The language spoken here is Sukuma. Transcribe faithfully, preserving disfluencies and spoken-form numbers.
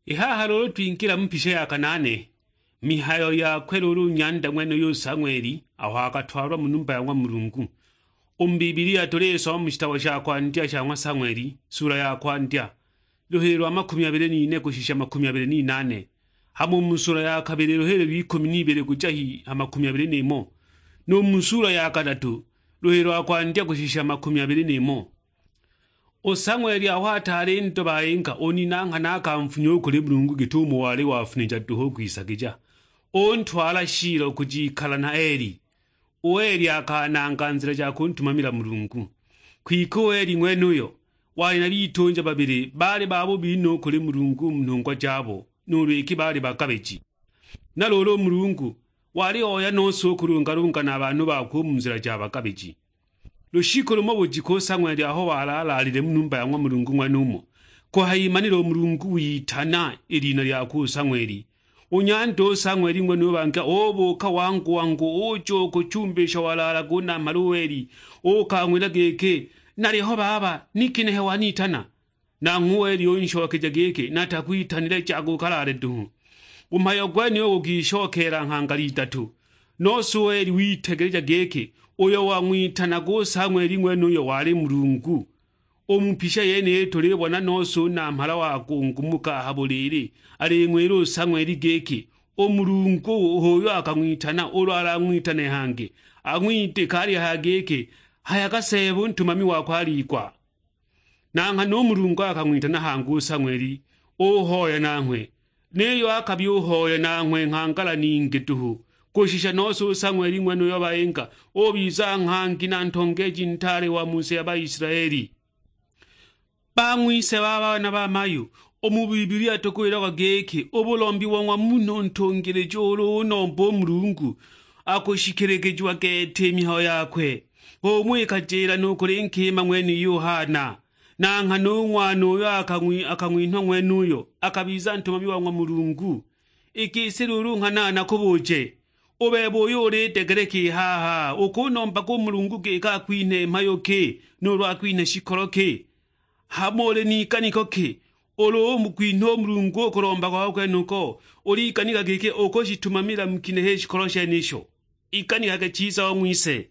I haha luulu twingila mu pisha ya kanaane, mihayo yakwe luulu u nyanda ng'wenuyu u Sang'weli aho akatwalwa mu numba ya ng'wa Mulungu. U mu Bibilia tulisoma mu shitabo sha kwandya sha ng'wa Sang'weli, sula ya kwandya, luhili lwa makumi abili n'ine kushisha makumi abili n'inaane, hamo u mu sula ya kabili luhili lw'ikumi n'ibili kuja hi ha makumi abili n'imo, nu mu sula ya kadatu luhili lwa kwandya kushisha makumi abili n'imo. U Sang'weli aho ataali ndo bayinga, u nina nghana akamfunya u kuli Mulungu git'umo wali wafunija duhu u kwisagija, untwala Shilo kujikala na Eli. U Eli akananga nzila ja kuntumamila Mulungu. Kwike u Eli ng'wenuyo wali na bitunja babili baali babubi no u kuli Mulungu mu nhungwa jabo, nuulu iki baali bagabiji. Na luulu u Mulungu wali oya nose u kulungalunga na banhu bakwe u mu nzila ja bagabiji. Lushiku lumo bujiku u Sang'weli aho walaalaalile mu numba ya ng'wa Mulungu ng'wenumo, kuhayimanila u Mulungu witana i lina lyakwe u Sang'weli. U nyanda u Sang'weli ng'wenuyo bangila ubuuka wangu-wangu uja u ku chumba isho walaalaga u namhala u Eli, uukang'wila giki, "Naliho baba, ni ginehe wanitana?" Nanghwe u Eli unshokeja giki, "Natakwitanile, jaga ukalaale duhu." U mhayo gwenuyo gugishokeela nghangala idatu, nose u Eli witegeleja giki uyo wang'witanaga u Sang'weli ng'wenuyo wali Mulungu. U mu pisha yeniyi tulibona nose u namhala wagungumuka ha buliili, aling'wila u Sang'weli giki, "U Mulungu h'uyo akang'witana, ulu alang'witane hangi, ang'widika alihaya giki, 'Hayaga Seeba u ntumami wakwe aliigwa.'" Na nghana u Mulungu akang'witana hangi u Sang'weli, uhoya nanghwe, niyo akabya uhoya nanghwe nghangala ningi duhu, kushisha nose u Sang'weli ng'wenuyo bayinga ubiza nghangi na ntongeeji ntaale wa mu si ya Baisilaeli. Bang'wise ba bana ba mayu, u mu Bibilia tukuwilagwa giki, u bulombi bo ng'wa munhu ntungilija ulu unomba u Mulungu, akushikiligijiwa gete i mihayo yakwe. H'umo ikajila nu kuli nkima ng'wenuyu u Hana. Na nghana u ng'wana uyo akang'wi-, akang'winhwa ng'wenuyo akabiza ntumami wa ng'wa Mulungu. I gisi luulu nghana nakubuuje, u bebe uyo ulidegeleka i haha, ukunombaga u Mulungu giki akwinhe mhayo ki, nuulu akwinhe shikolo ki? Hamo uli n'iganiko ki, ulu umukwinha u Mulungu u kulomba kwako kwenuko, uliganika giki ukushitumamila mu ginehe i shikolo shenisho? Iganikage chiza, o ng'wise.